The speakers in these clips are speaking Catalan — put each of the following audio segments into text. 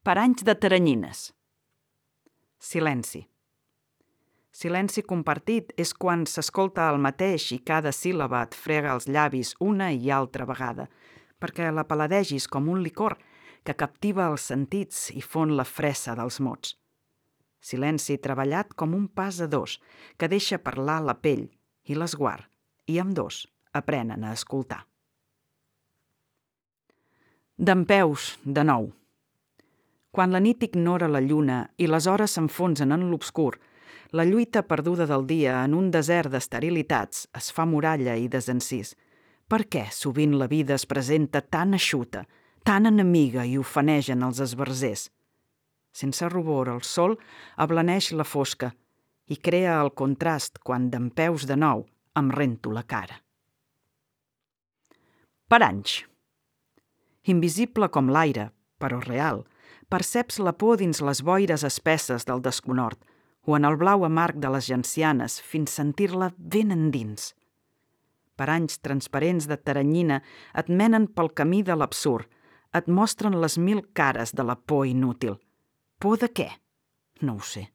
Paranys de teranyines. Silenci. Silenci compartit és quan s'escolta el mateix i cada síl·laba et frega els llavis una i altra vegada, perquè la paladegis com un licor que captiva els sentits i fon la fressa dels mots. Silenci treballat com un pas a dos, que deixa parlar la pell i l'esguard, i ambdós aprenen a escoltar. Dempeus, de nou. Quan la nit ignora la lluna i les hores s'enfonsen en l'obscur, la lluita perduda del dia en un desert d'esterilitats es fa muralla i desencís. Per què sovint la vida es presenta tan eixuta, tan enemiga i ofenegen els esbarzers? Sense rubor, el sol ablaneix la fosca i crea el contrast quan dempeus de nou em rento la cara. Paranys. Invisible com l'aire, però real, perceps la por dins les boires espesses del desconhort o en el blau amarg de les gencianes fins sentir-la ben endins. Paranys transparents de teranyina et menen pel camí de l'absurd, et mostren les mil cares de la por inútil. Por de què? No ho sé.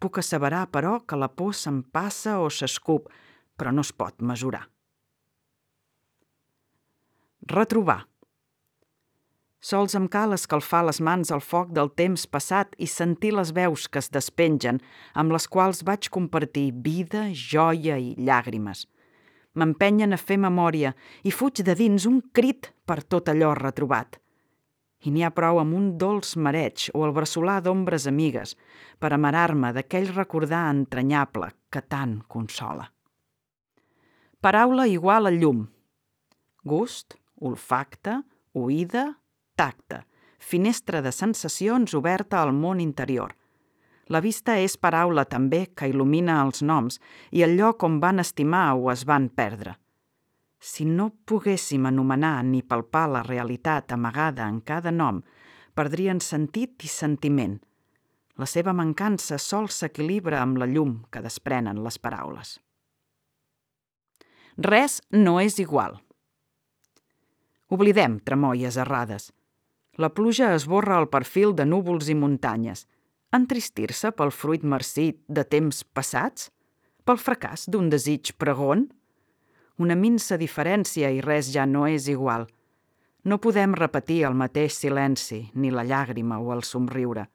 Puc asseverar, però, que la por s'empassa o s'escup, però no es pot mesurar. Retrobar. Sols em cal escalfar les mans al foc del temps passat i sentir les veus que es despengen, amb les quals vaig compartir vida, joia i llàgrimes. M'empenyen a fer memòria i fuig de dins un crit per tot allò retrobat. I n'hi ha prou amb un dolç mareig o el bressolar d'ombres amigues per amarar-me d'aquell recordar entranyable que tant consola. Paraula igual a llum. Gust, olfacte, oïda, tacte, finestra de sensacions oberta al món interior. La vista és paraula també que il·lumina els noms i el lloc on van estimar o es van perdre. Si no poguéssim anomenar ni palpar la realitat amagada en cada nom, perdrien sentit i sentiment. La seva mancança sols s'equilibra amb la llum que desprenen les paraules. Res no és igual. Oblidem tremoies errades. La pluja esborra el perfil de núvols i muntanyes. Entristir-se pel fruit marcit de temps passats? Pel fracàs d'un desig pregon? Una minsa diferència i res ja no és igual. No podem repetir el mateix silenci, ni la llàgrima o el somriure.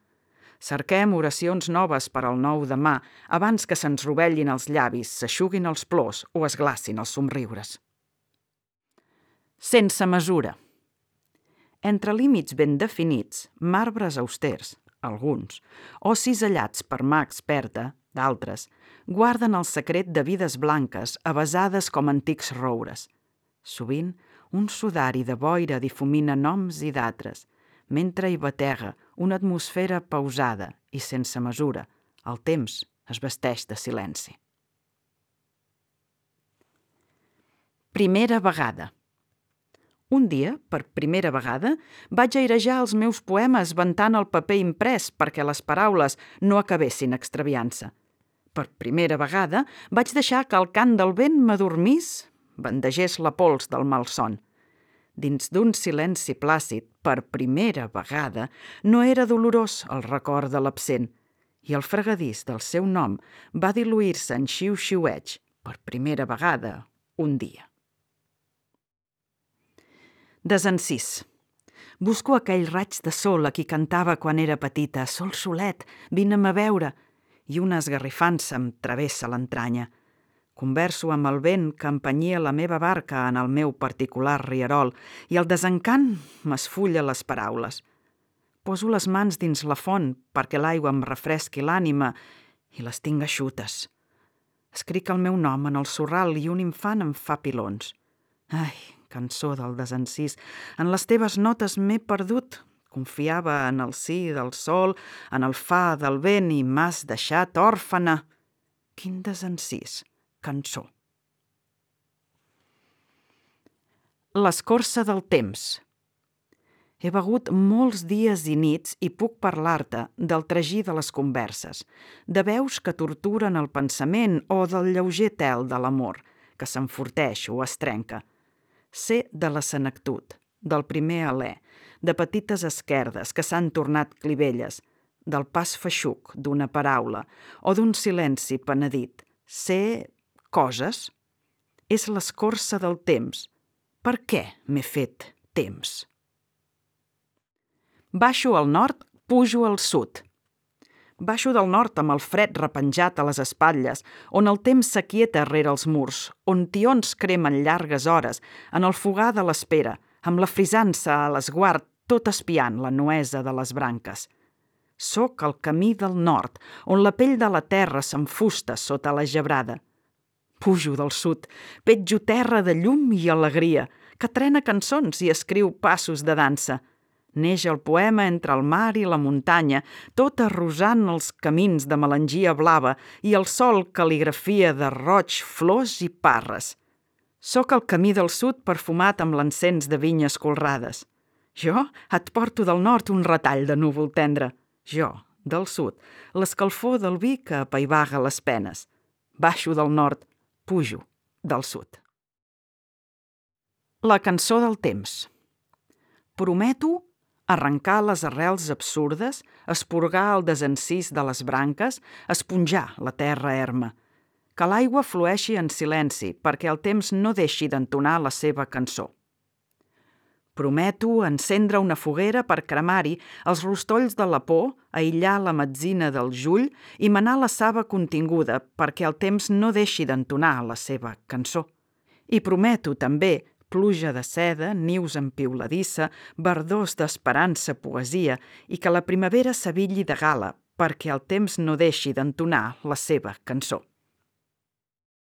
Cerquem oracions noves per al nou demà abans que se'ns rovellin els llavis, s'eixuguin els plors o es glacin els somriures. Sense mesura. Entre límits ben definits, marbres austers, alguns, o cisellats per mà experta, d'altres, guarden el secret de vides blanques avesades com antics roures. Sovint, un sudari de boira difumina noms i datres, mentre hi batega una atmosfera pausada i sense mesura. El temps es vesteix de silenci. Primera vegada. Un dia, per primera vegada, vaig airejar els meus poemes ventant el paper imprès perquè les paraules no acabessin extraviant-se. Per primera vegada vaig deixar que el cant del vent m'adormís, bandegés la pols del malson. Dins d'un silenci plàcid, per primera vegada, no era dolorós el record de l'absent, i el fregadís del seu nom va diluir-se en xiu-xiueig, per primera vegada, un dia. Desencís. Busco aquell raig de sol a qui cantava quan era petita. Sol solet, vine'm a veure. I una esgarrifança em travessa l'entranya. Converso amb el vent que empenyia la meva barca en el meu particular rierol i el desencant m'esfulla les paraules. Poso les mans dins la font perquè l'aigua em refresqui l'ànima i les tinc eixutes. Escric el meu nom en el sorral i un infant em fa pilons. Ai, cançó del desencís, en les teves notes m'he perdut. Confiava en el sí del sol, en el fa del vent i m'has deixat òrfana. Quin desencís, cançó. L'escorça del temps. He begut molts dies i nits i puc parlar-te del tragí de les converses, de veus que torturen el pensament o del lleuger tel de l'amor, que s'enforteix o es trenca. Sé de la senectut, del primer alè, de petites esquerdes que s'han tornat clivelles, del pas feixuc d'una paraula o d'un silenci penedit. Ser coses és l'escorça del temps. Per què m'he fet temps? Baixo al nord, pujo al sud. Baixo del nord amb el fred repenjat a les espatlles, on el temps s'aquieta rere els murs, on tions cremen llargues hores, en el fogar de l'espera, amb la frisança a l'esguard, tot espiant la nuesa de les branques. Soc al camí del nord, on la pell de la terra s'enfusta sota la gebrada. Pujo del sud, petjo terra de llum i alegria, que trena cançons i escriu passos de dansa. Neix el poema entre el mar i la muntanya, tot arrosant els camins de melangia blava i el sol cal·ligrafia de roig, flors i parres. Soc al camí del sud perfumat amb l'encens de vinyes colrades. Jo et porto del nord un retall de núvol tendre. Jo, del sud, l'escalfor del vi que apaivaga les penes. Baixo del nord, pujo del sud. La cançó del temps. Prometo arrencar les arrels absurdes, esporgar el desencís de les branques, esponjar la terra erma. Que l'aigua flueixi en silenci perquè el temps no deixi d'entonar la seva cançó. Prometo encendre una foguera per cremar-hi els rostolls de la por, aïllar la metzina del jull i manar la saba continguda perquè el temps no deixi d'entonar la seva cançó. I prometo també pluja de seda, nius en piuladissa, verdors d'esperança, poesia, i que la primavera s'abilli de gala perquè el temps no deixi d'entonar la seva cançó.